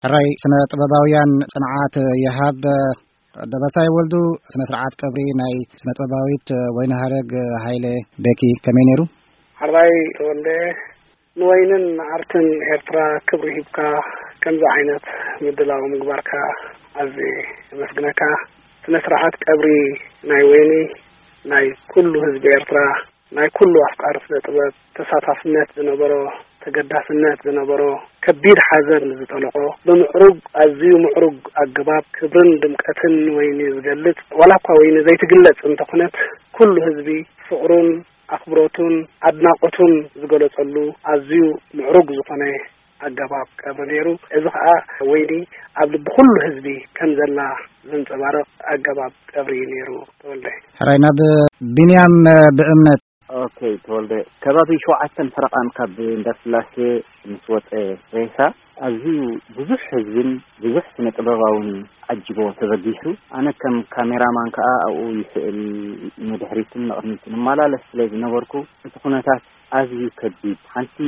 ሕራይ ስነ ጥበባውያን ጽንዓት ይሃብ። ደበሳይ ወልዱ፣ ስነ ስርዓት ቀብሪ ናይ ስነ ጥበባዊት ወይኒ ሃረግ ሃይለ ቤኪ ከመይ ነይሩ? ሓራይ ተወልደ፣ ንወይንን ንኣርትን ኤርትራ ክብሪ ሂብካ ከምዚ ዓይነት ምድላው ምግባርካ ኣዝየ የመስግነካ። ስነ ስርዓት ቀብሪ ናይ ወይኒ ናይ ኩሉ ህዝቢ ኤርትራ፣ ናይ ኩሉ ኣፍቃሪ ስነ ጥበብ ተሳታፍነት ዝነበሮ፣ ተገዳስነት ዝነበሮ፣ ከቢድ ሓዘን ዝጠለቆ፣ ብምዕሩግ፣ ኣዝዩ ምዕሩግ ኣገባብ ክብርን ድምቀትን ወይኒ ዝገልጽ፣ ዋላ እኳ ወይኒ ዘይትግለጽ እንተኾነት፣ ኩሉ ህዝቢ ፍቕሩን ኣኽብሮቱን ኣድናቖቱን ዝገለጸሉ ኣዝዩ ምዕሩግ ዝኾነ ኣገባብ ቀብሪ ነይሩ። እዚ ኸኣ ወይኒ ኣብ ልቢ ኩሉ ህዝቢ ከም ዘላ ዘንጸባርቕ ኣገባብ ቀብሪ እዩ ነይሩ። ተወልደ። ሕራይ ናብ ቢንያም ብእምነት። ኦኬ፣ ተወልደ፣ ከባቢ ሸውዓተን ፈረቓን ካብ እንዳስላሴ ምስ ወጸ ሬሳ፣ ኣዝዩ ብዙሕ ህዝብን ብዙሕ ስነ ጥበባውን ዓጅቦ ተበጊሱ። ኣነ ከም ካሜራማን ከኣ ኣብኡ ይስእል፣ ንድሕሪትን ንቕድሚትን እመላለስ ስለ ዝነበርኩ፣ እቲ ኩነታት ኣዝዩ ከቢድ፣ ሓንቲ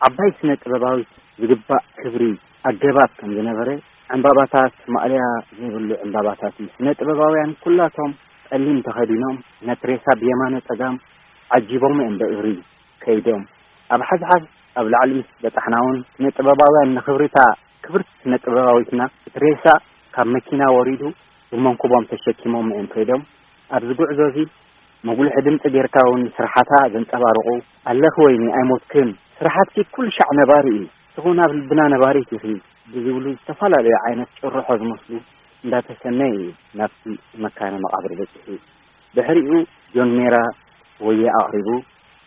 ዓባይ ስነ ጥበባዊት ዝግባእ ክብሪ ኣገባብ ከም ዝነበረ፣ ዕምባባታት ማእለያ ዘይብሉ ዕምባባታት እዩ። ስነ ጥበባውያን ኩላቶም ጸሊም ተኸዲኖም፣ ነቲ ሬሳ ብየማነ ጸጋም ዓጂቦም እዮም ብእግሪ ከይዶም። ኣብ ሓዝሓዝ ኣብ ላዕሊ ምስ በጻሕና እውን፣ ስነ ጥበባውያን ንኽብሪታ ክብርቲ ስነ ጥበባዊትና፣ እቲ ሬሳ ካብ መኪና ወሪዱ ብመንኩቦም ተሸኪሞም እዮም ከይዶም። ኣብዚ ጉዕዞ እዚ መጉልሒ ድምጺ ጌርካ እውን ስርሓታ ዘንጸባርቑ፣ ኣለኺ ወይኒ ኣይሞትክን፣ ስራሓትኪ ኩሉ ሻዕ ነባሪ እዩ፣ ንስኺ እውን ኣብ ልብና ነባሪት ኢኺ ብዝብሉ ዝተፈላለዩ ዓይነት ጭርሖ ዝመስሉ እንዳተሰነየ እዩ ናብቲ መካነ መቓብር በጺሑ። ድሕሪኡ ጆን ሜራ ወየ ኣቕሪቡ፣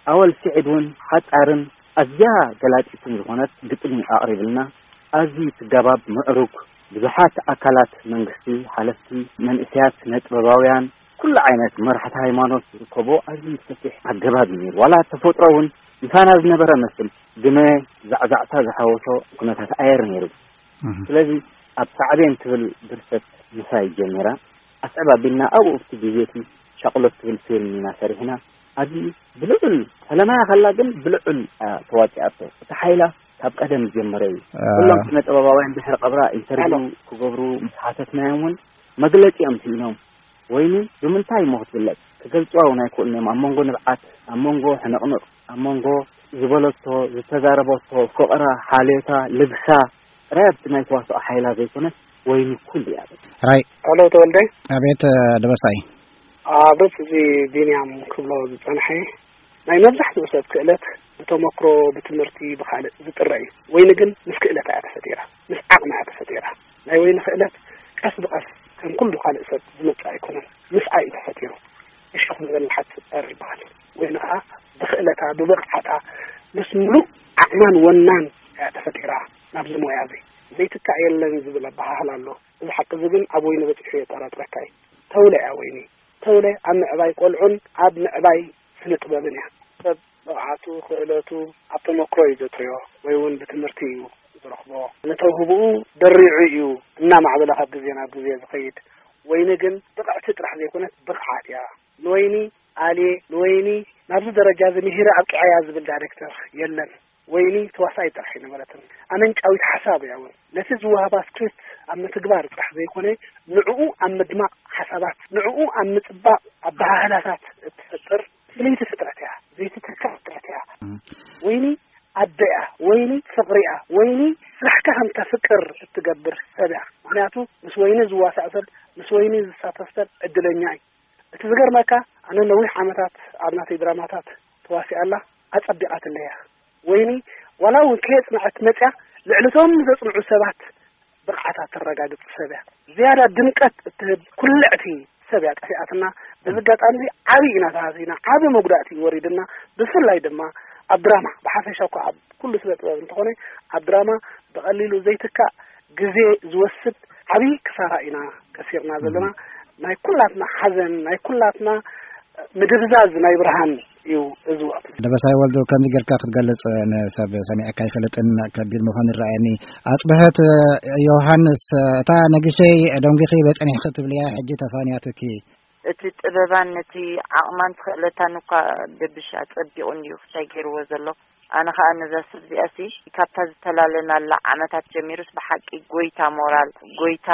ኣወል ስዒድ እውን ሓጻርን ኣዝያ ገላጺትን ዝኾነት ግጥሚ ኣቕሪብልና። ኣዝዩ ትጋባብ ምዕሩግ፣ ብዙሓት ኣካላት መንግስቲ፣ ሓለፍቲ፣ መንእሰያት፣ ስነ ጥበባውያን፣ ኩሉ ዓይነት መራሕቲ ሃይማኖት ዝርከቦ ኣዝዩ ሰፊሕ ኣገባብ እዩ ነይሩ። ዋላ ተፈጥሮ እውን ምሳና ዝነበረ መስል፣ ግመ ዛዕዛዕታ ዝሓወሶ ኩነታት ኣየር ነይሩ። እህ። ስለዚ ኣብ ሳዕቤን ትብል ድርሰት ምሳይ ጀሚራ። ኣስዕብ ኣቢልና ኣብኡ ኣብቲ ግዜ እቲ ሻቕሎት ትብል ፊልም ኢና ሰሪሕና። ኣብዚ ብልዑል ፈለማያ ከላ ግን ብልዑል፣ አ፣ ተዋፂኣቶ። እቲ ሓይላ ካብ ቀደም ዝጀመረ እዩ። አ። ኩሎም ስነ ጥበባውያን ድሕሪ ቀብራ ኢንተርቪው ኣሎ። ክገብሩ ምስ ሓተትናዮም እውን መግለፂ እዮም ስኢኖም። ወይኒ ብምንታይ እሞ ክትግለፅ? ክገልፅዋ እውን ኣይክእሉን እዮም። ኣብ መንጎ ንብዓት፣ ኣብ መንጎ ሕንቕንቕ፣ ኣብ መንጎ ዝበለቶ፣ ዝተዛረበቶ፣ ፍቕራ፣ ሓልዮታ፣ ልግሳ፣ ጥራይ ኣብቲ ናይ ተዋስኦ ሓይላ ዘይኮነስ ወይኒ ኩሉ እያ። ራይ። ሄሎ ተወልደ። ኣቤት፣ እ፣ ደበሳይ። ኣብ ርእሲ እዚ ቢንያም ክብሎ ዝጸንሐ፣ ናይ መብዛሕትኡ ሰብ ክእለት ብተመክሮ፣ ብትምህርቲ፣ ብኻልእ ዝጥረ እዩ። ወይኒ ግን ምስ ክእለት እያ ተፈጢራ፣ ምስ ዓቕሚ እያ ተፈጢራ። ናይ ወይኒ ክእለት ቀስ ብቐስ ከም ኩሉ ካልእ ሰብ ዝመጽእ ኣይኮነን፣ ምስኣ እዩ ተፈጢሩ። እሾኽ ንበልሓት ጸር ይበሃል። ወይኒ ከኣ ብኽእለታ፣ ብብቕዓታ፣ ምስ ምሉእ ዓቕማን ወናን እያ ተፈጢራ ናብዚ ሞያ እዚ። ዘይትካእ የለን ዝብል ኣበሃህላ ኣሎ። እዚ ሓቂ እዚ ግን ኣብ ወይኒ በጺሑ የጠራጥረካ እዩ። ተውለ እያ ወይኒ። ተውለ ኣብ ምዕባይ ቆልዑን ኣብ ምዕባይ ስነ ጥበብን እያ። ሰብ ብቕዓቱ፣ ክእለቱ ኣብ ተመክሮ እዩ ዘጥርዮ ወይ እውን ብትምህርቲ እዩ ዝረኽቦ። ንተውህብኡ ደሪዑ እዩ እናማዕበለ ካብ ግዜ ናብ ግዜ ዝኸይድ። ወይኒ ግን ብቕዕቲ ጥራሕ ዘይኮነት ብቕዓት እያ። ንወይኒ ኣልየ፣ ንወይኒ ናብዚ ደረጃ እዚ ምሂረ ኣብቂዐያ ዝብል ዳይሬክተር የለን። ወይኒ ተዋሳኢት ጥራሕ ኣይነበረትን። ኣመንጫዊት ሓሳብ እያ እውን። ነቲ ዝወሃባ ስክሪፕት ኣብ ምትግባር ጥራሕ ዘይኮነ፣ ንዕኡ ኣብ ምድማቕ ሓሳባት፣ ንዕኡ ኣብ ምጽባቕ ኣበሃህላታት እትፈጥር ፍልይቲ ፍጥረት እያ። ዘይትትካእ ፍጥረት እያ። እም። ወይኒ ኣደ እያ። ወይኒ ፍቕሪ እያ። ወይኒ ስራሕካ ከም ተፍቅር እትገብር ሰብ እያ። ምኽንያቱ ምስ ወይኒ ዝዋሳእ ሰብ፣ ምስ ወይኒ ዝሳተፍ ሰብ ዕድለኛ እዩ። እቲ ዝገርመካ፣ ኣነ ነዊሕ ዓመታት ኣብ ናተይ ድራማታት ተዋሲኣ ኣላ፣ ኣጸቢቓትለይ እያ። ወይኒ ዋላ እውን ከየጽንዐት መጽያ፣ ልዕሊ እቶም ዘጽንዑ ሰባት ብቕዓታ ተረጋግጽ ሰብ እያ። ዝያዳ ድምቀት እትህብ ኩልዕቲ ሰብ እያ ጠፊኣትና። በዚ ኣጋጣሚ እዚ ዓቢ ኢና ተሃሲና፣ ዓቢ መጉዳእቲ እዩ ወሪድና። ብፍላይ ድማ ኣብ ድራማ፣ ብሓፈሻ እኳ ኣብ ኩሉ ስነ ጥበብ እንተኾነ፣ ኣብ ድራማ ብቐሊሉ ዘይትካእ ግዜ ዝወስድ ዓቢ ክሳራ ኢና ከሲርና ዘለና። ናይ ኩላትና ሓዘን፣ ናይ ኩላትና ምድብዛዝ ናይ ብርሃን እዩ እዚ ወቕቲ። ደበሳይ ወልዱ፣ ከምዚ ጌርካ ክትገልጽ ንሰብ ሰሚዕካ ኣይፈልጥን፣ ከቢድ ምዃኑ ይረኣየኒ። ኣጽብሀት ዮሃንስ፣ እታ ነጊሸይ ደንጒኺ በጸኒሕኺ ትብልያ ሕጂ ተፋንያትኪ። እቲ ጥበባን ነቲ ዓቕማን ክእለታን እኳ ደብሽ ኣጸቢቑ እንድዩ ክሳይ ገይርዎ ዘሎ። ኣነ ኸኣ ነዛ ሰብ እዚኣሲ ካብታ ዝተላለናላ ዓመታት ጀሚሩስ ብሓቂ ጎይታ ሞራል፣ ጎይታ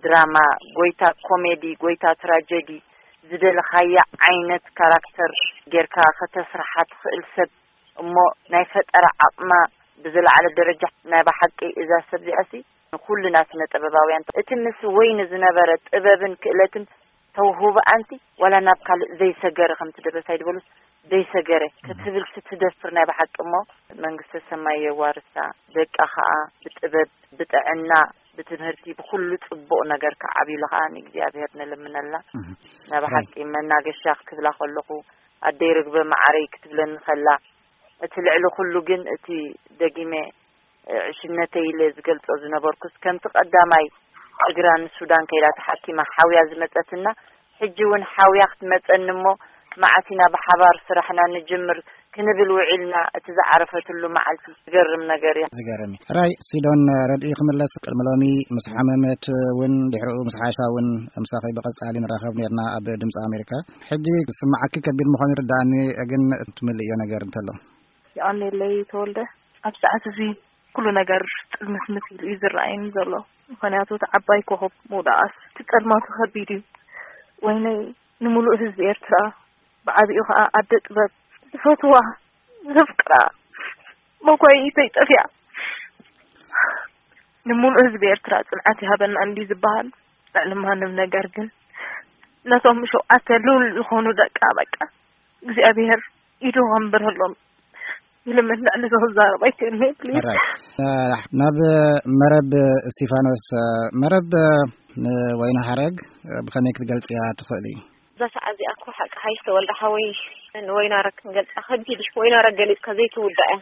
ድራማ፣ ጎይታ ኮሜዲ፣ ጎይታ ትራጀዲ ዝደለኻያ ዓይነት ካራክተር ጌርካ ከተስርሓ ትኽእል ሰብ እሞ ናይ ፈጠራ ዓቕማ ብዝለዓለ ደረጃ ናይ ብሓቂ እዛ ሰብ እዚኣሲ ንኹልና ስነ ጥበባውያን እቲ ምስ ወይኒ ዝነበረ ጥበብን ክእለትን ተውህቦ ኣንቲ ዋላ ናብ ካልእ ዘይሰገረ ከምቲ ደበሳይ ዝበሉስ ዘይሰገረ ክትብልሲ ትደፍር ናይ ብሓቂ እሞ መንግስተ ሰማይ የዋርሳ ደቃ ኸኣ ብጥበብ ብጥዕና ብትምህርቲ ብኩሉ ጽቡቕ ነገር ክዓብዩሉ ኸኣ ንእግዚኣብሔር ንልምነላ ናይ ብሓቂ መናገሻ ክትብላ ከለኹ ኣደይ ርግበ መዓረይ ክትብለኒ ከላ እቲ ልዕሊ ኩሉ ግን እቲ ደጊመ ዕሽነተይ ኢለ ዝገልጾ ዝነበርኩስ ከምቲ ቀዳማይ እግራ ንሱዳን ከይዳ ተሓኪማ ሓውያ ዝመጸትና ሕጂ እውን ሓውያ ክትመጸኒ እሞ መዓት ኢና ብሓባር ስራሕና ንጅምር ክንብል ውዒልና እቲ ዝዓረፈትሉ መዓልቲ ዝገርም ነገር እዩ። ዝገርም እዩ። ራይ ሲዶን ረድኢ ክምለስ ቅድሚ ሎሚ ምስ ሓመመት እውን ድሕሪኡ ምስ ሓሻ እውን ምሳኺ ብቐጻሊ ንራኸብ ነርና ኣብ ድምፂ ኣሜሪካ። ሕጂ ዝስማዓኪ ከቢድ ምዃኑ ይርዳእኒ፣ ግን ትምልእዮ ነገር እንተሎ። ይቐንየለይ ተወልደ። ኣብ ሰዓት እዚ ኩሉ ነገር ጥዝምዝምዝ ኢሉ እዩ ዝረኣየኒ ዘሎ። ምኽንያቱ እቲ ዓባይ ኮኸብ ምውዳቓስ እቲ ጸልማቱ ከቢድ እዩ። ወይነይ ንምሉእ ህዝቢ ኤርትራ፣ ብዓቢኡ ኸኣ ኣደ ጥበብ፣ ዝፈትዋ፣ ዘፍቅራ፣ መኳይኢተይ ጠፊኣ። ንምሉእ ህዝቢ ኤርትራ ጽንዓት ይሃበና እንዲ ዝበሃል፣ ልዕሊ ማንም ነገር ግን ነቶም ሸውዓተ ልዑል ዝኾኑ ደቃ በቃ እግዚኣብሔር ኢዱ ከንብረሎም ይልምን። ልዕሊ እዚ ክዛረብ ኣይክእልን እየ፣ ፕሊዝ። ኦራይት። እ፣ ናብ መረብ እስቲፋኖስ፣ እ፣ መረብ፣ እ፣ ንወይኒ ሃረግ፣ እ፣ ብኸመይ ክትገልጽያ ትኽእሊ? እዛ ሰዓት እዚኣ እኮ ሓቂ ሓይሽ ተወልደ ሓወይ ንወይናረግ ክንገልጻ ከቢድ እዩ። ወይናረግ ገሊጽካ ዘይትውዳእ እያ።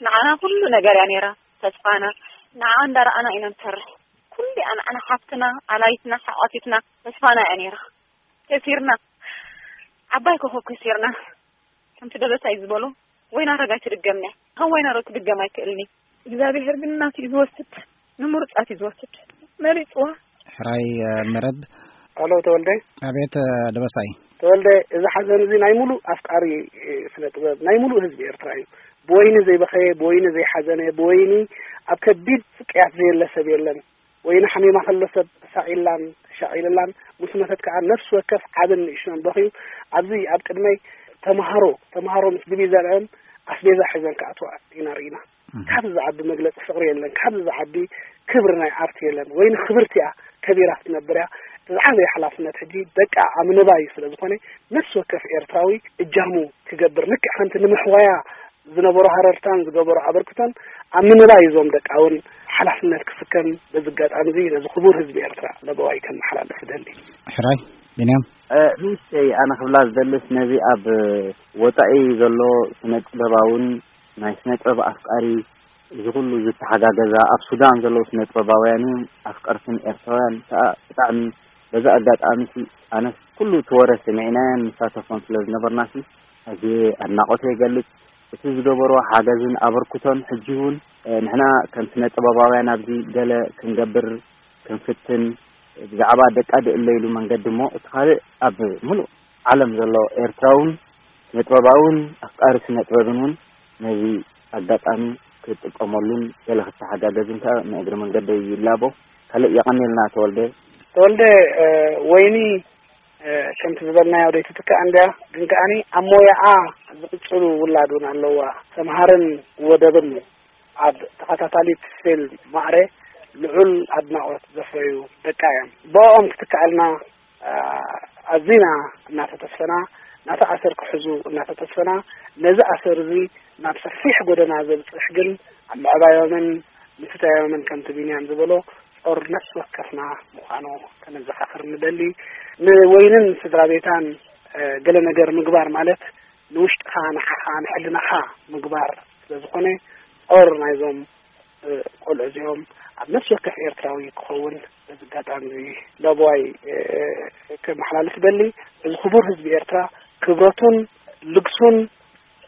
ንዓና ኩሉ ነገር እያ ነይራ፣ ተስፋና። ንዓ እንዳረኣና ኢና ንሰርሕ። ኩሉ እያ ንዓና ሓፍትና፣ ኣላይትና፣ ሓቋፊትና፣ ተስፋና እያ ነይራ። ከሲርና። ዓባይ ኮኸብ ከሲርና። ከምቲ ደበሳይ ዝበሎ፣ ወይናረግ ኣይትድገምና። ከም ወይናረግ ክድገም ኣይክእልን እዩ። እግዚኣብሔር ግን ናቱ እዩ ዝወስድ፣ ንምሩጻት እዩ ዝወስድ። መሪጽዋ። ሕራይ፣ እ፣ መረብ። ኣሎ ተወልደ። ኣቤት፣ እ፣ ደበሳይ። ተወልደ፣ እዚ ሓዘን እዚ ናይ ሙሉእ ኣፍቃሪ፣ እ፣ ስነ ጥበብ፣ ናይ ሙሉእ ህዝቢ ኤርትራ እዩ። ብወይኒ ዘይበኸየ፣ ብወይኒ ዘይሓዘነ፣ ብወይኒ ኣብ ከቢድ ስቅያት ዘየለ ሰብ የለን። ወይኒ ሓሚማ ከሎ ሰብ ተሳቒላን ተሻቒልላን፣ ምስ መተት ከኣ ነፍሲ ወከፍ ዓብን ንእሽቶን በኽዩ። ኣብዚ ኣብ ቅድመይ ተምሃሮ፣ ተምሃሮ ምስ ድቪዘንአን ኣስቤዛ ሒዘን ክኣትዋ ኢና ርኢና። እህ። ካብዚ ዝዓቢ መግለጺ ፍቕሪ የለን፣ ካብዚ ዝዓቢ ክብሪ ናይ ኣርት የለን። ወይኒ ክብርቲ እያ፣ ከቢራ ክትነብር እያ። እቲ ዝዓበየ ሓላፍነት ሕጂ ደቃ ኣብ ምንባይ ስለ ዝኾነ፣ ነፍሲ ወከፍ ኤርትራዊ እጃሙ ክገብር፣ ልክዕ ከምቲ ንምሕዋያ ዝነበሮ ሃረርታን ዝገበሮ ኣበርክቶን ኣብ ምንባይ እዞም ደቃ እውን ሓላፍነት ክስከም በዚ ኣጋጣሚ እዚ ነዚ ክቡር ህዝቢ ኤርትራ ለበዋይ ከመሓላልፍ እደሊ። ሕራይ፣ ቢንያም። እ፣ ንእሽተይ ኣነ ክብላ ዝደልስ ነዚ ኣብ ወጻኢ ዘሎ ስነ ጥበባውን ናይ ስነ ጥበብ ኣፍቃሪ እዚ ኩሉ ዝተሓጋገዛ ኣብ ሱዳን ዘለዉ ስነ ጥበባውያንን ኣፍቀርትን ኤርትራውያን ከኣ ብጣዕሚ በዚ ኣጋጣሚ ሲ ኣነስ ኩሉ እቲ ወረ ሰሚዕናዮን ንሳተፎን ስለ ዝነበርና ሲ ኣዝየ ኣድናቖተይ ይገልጽ። እቲ ዝገበርዎ ሓገዝን ኣበርክቶን ሕጂ እውን፣ እ፣ ንሕና ከም ስነ ጥበባውያን ኣብዚ ገለ ክንገብር ክንፍትን ብዛዕባ ደቃ ድእለ ኢሉ መንገዲ እሞ እቲ ካልእ ኣብ ምሉእ ዓለም ዘሎ ኤርትራውን ስነ ጥበባውን ኣፍቃሪ ስነ ጥበብን እውን ነዚ ኣጋጣሚ ክጥቀመሉን ገለ ክተሓጋገዝን ከኣ ንእግሪ መንገደይ ይላቦ። ካልእ የቐንየልና ተወልደ። ተወልደ፣ እ፣ ወይኒ፣ እ፣ ከምቲ ዝበልናዮ ደይትትካእ እንድያ፣ ግን ከኣኒ ኣብ ሞያኣ ዝቕጽሉ ውላድ እውን ኣለዋ። ሰምሃርን ወደብን ኣብ ተኸታታሊት ፊልም ማዕረ ልዑል ኣድናቖት ዘፍረዩ ደቃ እዮም። ብኦም ክትከኣልና፣ እ፣ ኣዚና እናተተስፈና፣ ናቲ ኣሰር ክሕዙ እናተተስፈና፣ ነዚ ኣሰር እዚ ናብ ሰፊሕ ጎደና ዘብጽሕ ግን ኣብ ምዕባዮምን ምስታዮምን ከምቲ ቢንያም ዝበሎ ጾር ነፍሲ ወከፍና ምዃኑ ከነዘኻኽር ንደሊ። ንወይንን ስድራ ቤታን፣ እ፣ ገለ ነገር ምግባር ማለት ንውሽጥኻ፣ ንዓኻ፣ ንሕልናኻ ምግባር ስለ ዝኾነ ጾር ናይዞም፣ እ፣ ቆልዑ እዚኦም ኣብ ነፍሲ ወከፍ ኤርትራዊ ክኸውን በዚ ኣጋጣሚ እዚ ለበዋይ፣ እ፣ ከመሓላልፍ ደሊ። እዚ ክቡር ህዝቢ ኤርትራ ክብረቱን ልግሱን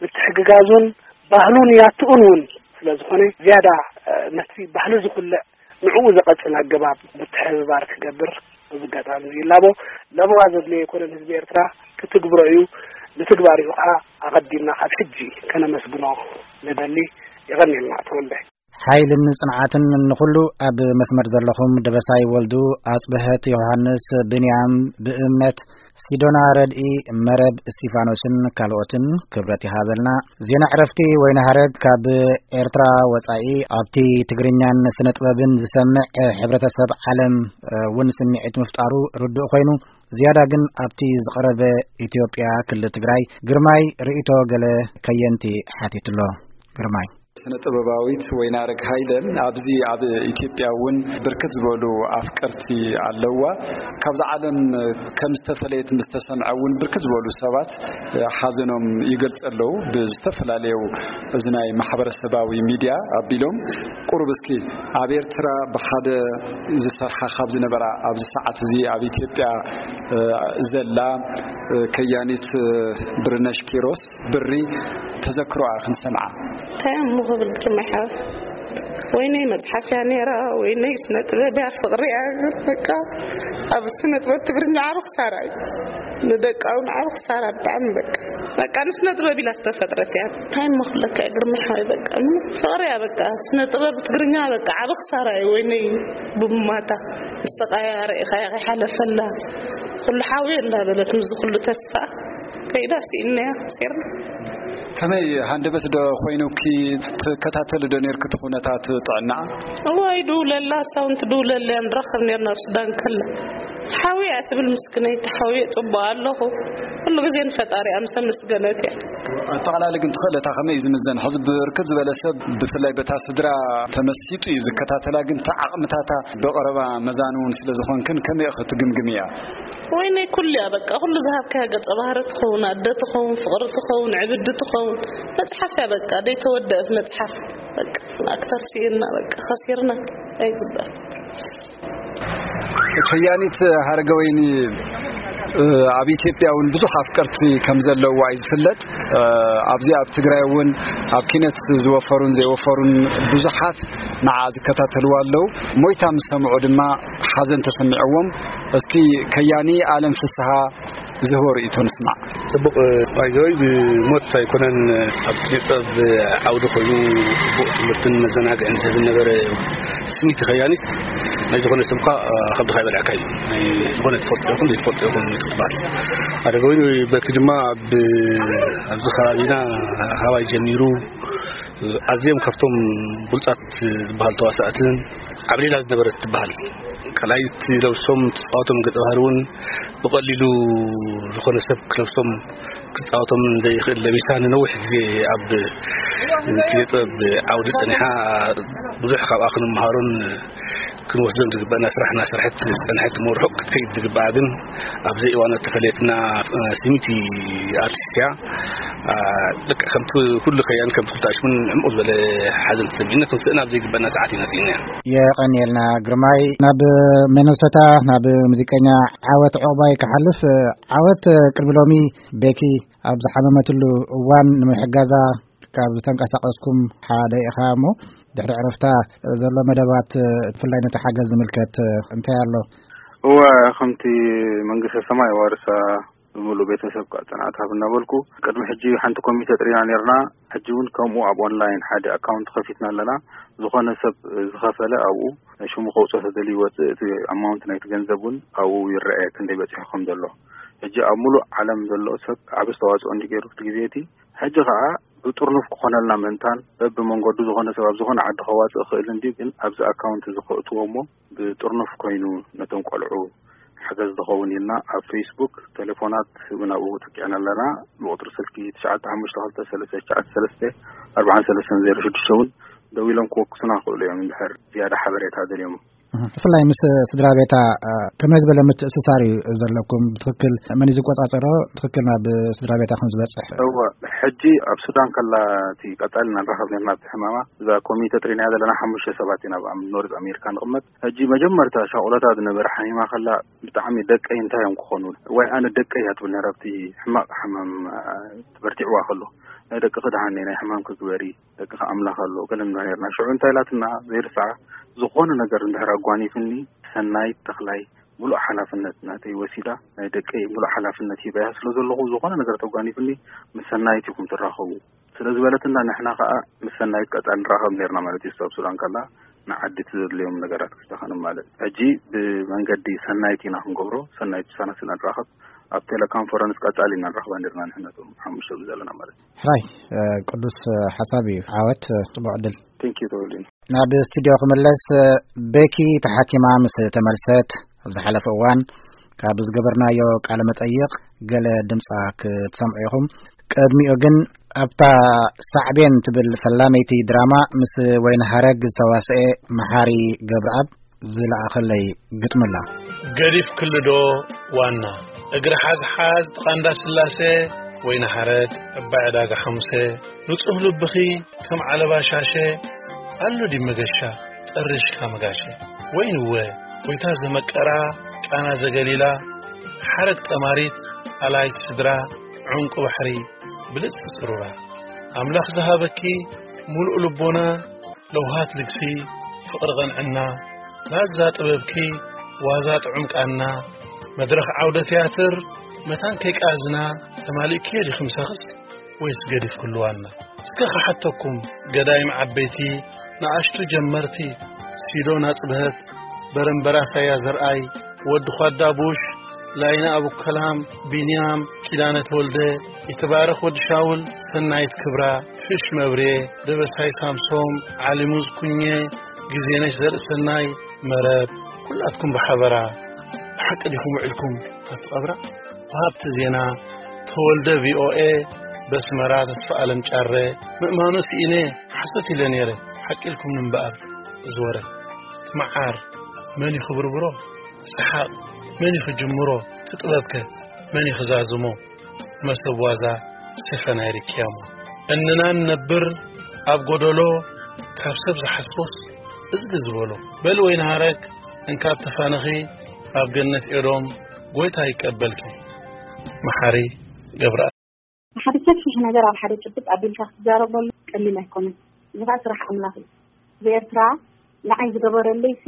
ምትሕግጋዙን ባህሉን ያትኡን እውን ስለ ዝኾነ ዝያዳ፣ እ፣ ነቲ ባህሊ ዝኹልዕ ንዕኡ ዘቐጽል ኣገባብ ምትሕብባር ክገብር በዚ ኣጋጣሚ እዚ ይላቦ። ለበዋ ዘድልዮ ኣይኮነን ህዝቢ ኤርትራ፣ ክትግብሮ እዩ። ንትግባሪኡ ኸዓ ኣቐዲምና ካብ ሕጂ ከነመስግኖ ንደሊ። የቐንየልና ተወልደ። ሓይልን ጽንዓትን ንኹሉ። ኣብ መስመር ዘለኹም ደበሳይ ወልዱ፣ ኣጽብሀት ዮሃንስ፣ ብንያም ብእምነት፣ ሲዶና ረድኢ፣ መረብ እስቲፋኖስን ካልኦትን ክብረት ይሃበልና። ዜና ዕረፍቲ ወይኒ ሃረግ ካብ ኤርትራ ወጻኢ ኣብቲ ትግርኛን ስነ ጥበብን ዝሰምዕ ሕብረተሰብ ዓለም እውን ስምዒት ምፍጣሩ ርዱእ ኮይኑ፣ ዝያዳ ግን ኣብቲ ዝቐረበ ኢትዮጵያ ክልል ትግራይ ግርማይ ርእይቶ ገለ ከየንቲ ሓቲቱ ኣሎ። ግርማይ። ስነ ጥበባዊት ወይናረግ ሃይለ፣ ኣብዚ ኣብ ኢትዮጵያ እውን ብርክት ዝበሉ ኣፍቀርቲ ኣለዋ። ካብዛ ዓለም ከም ዝተፈለየት ምስ ተሰምዐ እውን ብርክት ዝበሉ ሰባት ሓዘኖም ይገልጹ ኣለዉ። ብዝተፈላለዩ እዚ ናይ ማሕበረሰባዊ ሚድያ ኣቢሎም፣ ቁሩብ እስኪ ኣብ ኤርትራ ብሓደ ዝሰርሓ ካብ ዝነበራ ኣብዚ ሰዓት እዚ ኣብ ኢትዮጵያ ዘላ ከያኒት ብርነሽ ኪሮስ ብሪ ተዘክሮኣ ክንሰምዓ። እንታይ እሞ ክብል ግርማይ ሓወይ? ወይነይ መጽሓፍ እያ ነይራ፣ ወይነይ ስነ ጥበብ እያ፣ ፍቕሪ እያ። በቃ ኣብ ስነ ጥበብ ትግርኛ ዓቢ ክሳራ እዩ። ንደቃ እውን ዓቢ ክሳራ ብጣዕሚ በቃ። በቃ ንስነ ጥበብ ኢላ ዝተፈጥረት እያ። እንታይ እሞ ክብለካ እየ ግርማይ ሓወይ? በቃ ፍቕሪ እያ በቃ። ስነ ጥበብ ትግርኛ በቃ ዓቢ ክሳራ እዩ። ወይነይ ብሙማታ ንስቓያ ርኢኻያ ከይሓለፈላ ኩሉ ሓውየ እንዳበለት ምስዚ ኩሉ ተስፋ ከይዳ ስኢንናያ ሴርና። ከመይ ሃንደበት ዶ ኮይኑኪ ትከታተሊ ዶ ኔርኪ እቲ ኩነታት ጥዕና? እዋይ ድውለላ፣ ሳውንት ድውለላ ንራኸብ ኔርና ኣብ ሱዳን ከላ። ሓውየ እያ ትብል ምስክነይቲ ሓውየ ጽቡቕ ኣለኹ። ኩሉ ግዜ ንፈጣሪ እያ ምስ ኣመስገነት እያ። ኣጠቓላሊ ግን ትኽእለታ ከመይ እዩ ዝምዘን? ሕዚ ብርክት ዝበለ ሰብ ብፍላይ በታ ስድራ ተመሲጡ እዩ ዝከታተላ፣ ግን እቲ ዓቕምታታ ብቐረባ መዛኒ እውን ስለ ዝኾንክን ከመይ ኢኺ ትግምግምያ? ወይነይ ኩሉ እያ በቃ፣ ኩሉ ዝሃብካያ ገጸ ባህሪ ትኸውን፣ ኣደ ትኸውን፣ ፍቕሪ ትኸውን፣ ዕብዲ ትኸውን፣ መጽሓፍ እያ በቃ፣ ደይተወደአት መጽሓፍ። በቃ ኣክተር ስኢንና በቃ ከሲርና ኣይግባእ። ከያኒት ሃረገወይኒ፣ እ፣ ኣብ ኢትዮጵያ እውን ብዙሕ ኣፍቀርቲ ከም ዘለዋ እዩ ዝፍለጥ። እ፣ ኣብዚ ኣብ ትግራይ እውን ኣብ ኪነት ዝወፈሩን ዘይወፈሩን ብዙሓት ንዓ ዝከታተልዋ ኣለዉ። ሞይታ ምስ ሰምዑ ድማ ሓዘን ተሰሚዕዎም። እስኪ ከያኒ ኣለም ፍስሃ ዝህቦ ርእይቶ ንስማዕ። ጽቡቕ፣ ባይዘወይ ብሞት ኣይኮነን ኣብ ኪነ ጥበብ ዓውዲ ኮይኑ ጽቡቕ ትምህርትን መዘናግዕን ዝህብ ነበረ። ስሚቲ ከያኒት ናይ ዝኾነ ሰብ ከ፣ እ፣ ከብድኻ ይበልዐካ እዩ። ናይ ዝኾነ ትፈልጦ ይኹን ዘይትፈልጦ ይኹን ትበሃል። ኣደገ ወይኒ በኪ ድማ ኣብ፣ ኣብዚ ከባቢና ሃዋይ ጀሚሩ ኣዝዮም ካብቶም ብሉጻት ዝበሃል ተዋሳእትን ዓብሊላ ዝነበረት ትበሃል። ካልኣይ እቲ ለብሶም ትጻወቶም ገጸ ባህሪ እውን ብቐሊሉ ዝኾነ ሰብ ክለብሶም ክጻወቶም ዘይኽእል ለቢሳ ንነዊሕ ግዜ ኣብ ኪነ ጥበብ ዓውዲ ጸኒሓ ብዙሕ ካብኣ ክንመሃሮን ክንወስዶን ዝግበአና ስራሕ እናሰርሐት ዝጸንሐት እሞ ርሑቕ ክትከይድ ዝግበኣ ግን ኣብዚ እዋን እተፈለየትና፣ እ፣ ስሚቲ ኣርቲስት እያ። እ፣ ልክዕ ከምቲ ኩሉ ከያን ከምቲ ኩሉ ኣሽሙን ዕምቕ ዝበለ ሓዘን ተሰሚዕና ክንስእና ኣብ ዘይግበአና ሰዓት ኢና ስኢንና። የቐንየልና ግርማይ። ናብ ሚነሶታ ናብ ሙዚቀኛ ዓወት ዕቑባይ ክሓልፍ። ዓወት፣ ቅድሚ ሎሚ ቤኪ ኣብ ዝሓመመትሉ እዋን ንምሕጋዛ ካብ ተንቀሳቐስኩም ሓደ ኢኻ እሞ፣ ድሕሪ ዕረፍታ ዘሎ መደባት፣ ብፍላይ ነቲ ሓገዝ ዝምልከት እንታይ ኣሎ? እወ፣ ከምቲ መንግስተ ሰማይ ዋርሳ ብምሉእ ቤተሰብ ከዓ ጽንዓት ሃብ እናበልኩ፣ ቅድሚ ሕጂ ሓንቲ ኮሚተ ጥሪና ኔርና። ሕጂ እውን ከምኡ ኣብ ኦንላይን ሓደ ኣካውንት ከፊትና ኣለና። ዝኾነ ሰብ ዝኸፈለ ኣብኡ ሽሙ ከውፅኦ ተደልዩ ይወፅእ። እቲ ኣማውንት ናይቲ ገንዘብ እውን ኣብኡ ይረአ ክንደይ በፂሑ ከም ዘሎ። ሕጂ ኣብ ሙሉእ ዓለም ዘሎ ሰብ ዓቢ ኣስተዋፅኦ እንዲ ገይሩ እቲ ግዜ እቲ። ሕጂ ከዓ ብጥርኑፍ ክኾነልና ምእንታን በብመንገዱ ዝኾነ ሰብ ኣብ ዝኾነ ዓዲ ከዋፅእ ይኽእል እንድዩ፣ ግን ኣብዚ ኣካውንት እዚ ከእትዎ እሞ ብጥርኑፍ ኮይኑ ነቶም ቆልዑ ሓገዝ ዝኸውን ኢልና ኣብ ፌስቡክ ቴሌፎናት እውን ኣብኡ ተኪዕና ኣለና። ብቁፅሪ ስልኪ ትሽዓተ ሓሙሽተ ክልተ ሰለስተ ትሽዓተ ሰለስተ ኣርባዓን ሰለስተን ዜሮ ሽዱሽተ እውን ደዊሎም ክወክሱና ይኽእሉ እዮም እንድሕር ዝያዳ ሓበሬታ ደልዮም። እህ፣ ብፍላይ ምስ ስድራ ቤታ፣ እ፣ ከመይ ዝበለ ምትእስሳር እዩ ዘለኩም? ብትኽክል መን እዩ ዝቆጻጸሮ? ብትኽክል ናብ ስድራ ቤታ ከም ዝበጽሕ? እወ፣ ሕጂ ኣብ ሱዳን ከላ እቲ ቀጻሊ ንራኸብ ነርና ኣብቲ ሕማማ፣ እዛ ኮሚተ ጥሪናያ ዘለና ሓሙሽተ ሰባት ኢና ኣብ ኣም-፣ ኖርዝ ኣሜሪካ ንቕመጥ። ሕጂ መጀመርታ ሻቑሎታ ዝነበረ ሓሚማ ከላ ብጣዕሚ ደቀይ እንታይ እዮም ክኾኑ? ወይ ኣነ ደቀይ እያ ትብል ነራ ኣብቲ ሕማቕ ሕማም፣ እ፣ ተበርቲዕዋ ከሎ። ናይ ደቅኺ ደሓን ናይ ሕማም ክግበሪ ደቅኻ ኣምላኽ ኣሎ፣ ገለ ንብላ ነርና። ሽዑ እንታይ ኢላትና ዘይርስዓ፣ ዝኾነ ነገር እንድሕር ኣጓኒፍኒ፣ ሰናይት ተኽላይ ምሉእ ሓላፍነት ናተይ ወሲዳ፣ ናይ ደቀይ ምሉእ ሓላፍነት ሂበያ ስለ ዘለኹ፣ ዝኾነ ነገር ተጓኒፍኒ፣ ምስ ሰናይት ኢኹም ትራኸቡ። ስለ ዝበለትና፣ ንሕና ከዓ ምስ ሰናይት ቀፃሊ ንራኸብ ነርና ማለት እዩ። ሳብ ሱዳን ከላ ንዓዲ ትዘድልዮም ነገራት ክስተኸንም ማለት ሕጂ ብመንገዲ ሰናይት ኢና ክንገብሮ። ሰናይት ብሳና ስለ ንራኸብ፣ ኣብ ቴሌኮንፈረንስ ቀፃሊ ኢና ንራኸባ ነርና፣ ንሕነቶም ሓሙሽተ ዘለና ማለት እዩ። ሕራይ፣ ቅዱስ ሓሳብ እዩ። ዓወት፣ ጽቡቕ ዕድል። ቴንኪዩ ተወልዲን። ናብ ስቱዲዮ ክምለስ። ቤኪ ተሓኪማ ምስ ተመልሰት፣ ኣብ ዝሓለፈ እዋን ካብ ዝገበርናዮ ቃለ መጠይቕ ገለ ድምጻ ክትሰምዑ ኢኹም። ቅድሚኡ ግን፣ ኣብታ ሳዕቤን ትብል ፈላመይቲ ድራማ ምስ ወይኒ ሃረግ ዝተዋስኤ መሓሪ ገብረኣብ ዝለኣኸለይ ግጥሚ ኣላ። ገዲፍ ክልዶ ዋና፣ እግሪ ሓዝ ሓዝ ጥቓ እንዳ ስላሴ፣ ወይኒ ሃረግ፣ ዕባይ ዕዳጋ ሓሙሴ፣ ንጹህ ልብኺ ከም ዓለባ ሻሸ፣ ኣሎ ድዩ መገሻ ጠሪሽካ መጋሸ? ወይንወ፣ ጎይታ ዘመቀራ፣ ቃና ዘገሊላ፣ ሓረግ ጠማሪት፣ ኣላይት ስድራ፣ ዑንቂ ባሕሪ፣ ብልጽቲ ጽሩራ። ኣምላኽ ዝሃበኪ፣ ሙሉእ ልቦና፣ ለውሃት ልግሲ፣ ፍቕሪ ቐንዕና፣ ላዛ ጥበብኪ፣ ዋዛ ጥዑም ቃና፣ መድረኽ ዓውደ ትያትር፣ መታን ከይቃዝና፣ ተማሊእክዮ ዲኺ ምሳኽስ? ወይስ ገዲፍ ክልዋና? እስከ ክሓተኩም፣ ገዳይም ዓበይቲ፣ ንኣሽቱ ጀመርቲ፣ ሲዶ ናጽብሀት፣ በረምበራ ሳያ ዘርኣይ፣ ወዲ ኳዳ ቡሽ፣ ላይነ ኣቡከላም፣ ቢንያም፣ ኪዳነ ተወልደ፣ ይትባረኽ ወዲ ሻውል፣ ሰናይት ክብራ፣ ሽሽ መብሬ፣ ደበሳይ ሳምሶም፣ ዓሊሙዝ ኩኘ፣ ግዜነሽ ዘርእሰናይ፣ መረብ፣ ኩላትኩም ብሓበራ፣ ብሓቂ ዲኹም ውዒልኩም ኣብቲ ቀብራ? ወሃብቲ ዜና፣ ተወልደ ቪኦኤ፣ በስመራ ተስፋ ኣለም ጫረ፣ ምእማኑ ስኢነ፣ ሓሶት ኢለ ነይረ፣ ሓቂ ኢልኩም እምበኣር፣ እዚ ወረ። እቲ መዓር መን እዩ ክብርብሮ? ሰሓቕ መን እዩ ክጅምሮ? እቲ ጥበብከ መን እዩ ክዛዝሞ? መሰብ ዋዛ ስፈናይ ርክያሞ። እንና ንነብር ኣብ ጎደሎ፣ ካብ ሰብ ዝሓስቦስ እዝጊ ዝበሎ። በል ወይኒ ሃረግ፣ እንካብ ተፋነኺ ኣብ ገነት ኤዶም፣ ጎይታ ይቀበልኪ። መሓሪ ገብረኣብ። ሓደ ሰፊሕ ነገር ኣብ ሓደ ጭብጥ ኣቢልካ ክትዛረበሉ ቀሊል ኣይኮነን። እዚ ኸኣ ስራሕ ኣምላኽ እዩ። ብኤርትራ ንዓይ ዝገበረለይ ሲ፣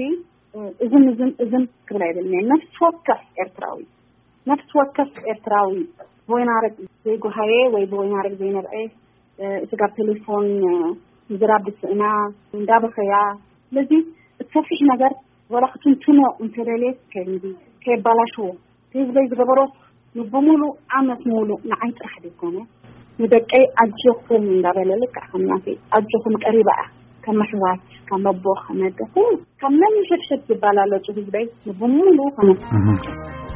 እዝን እዝን እዝን ክብል ኣይብልን እየ። ነፍሲ ወከፍ ኤርትራዊ፣ ነፍሲ ወከፍ ኤርትራዊ ብወይናረግ ዘይጎሃየ ወይ ብወይናረግ ዘይነብዐ፣ እ፣ ስጋብ ቴሌፎን፣ እ፣ ምዝራብ ብስእና፣ እንዳበኸያ። ስለዚ እቲ ሰፊሕ ነገር ወላ ክትንትኖ እንተደልየት ከይንዲ፣ ከየባላሽዎ፣ እቲ ህዝበይ ዝገበሮ ንብሙሉ ዓመት ሙሉ ንዓይ ጥራሕ ዘይኮነ፣ ንደቀይ ኣጆኹም እንዳበለ፣ ልክዕ ከም ናተይ ኣጆኹም ቀሪባ እያ። ከም ኣሕዋት፣ ከም ኣቦ፣ ከም ኣደ፣ ኩሉ ካብ ነንሕድሕድ ዝባላለጹ ህዝበይ ንብሙሉ ከመ እህ።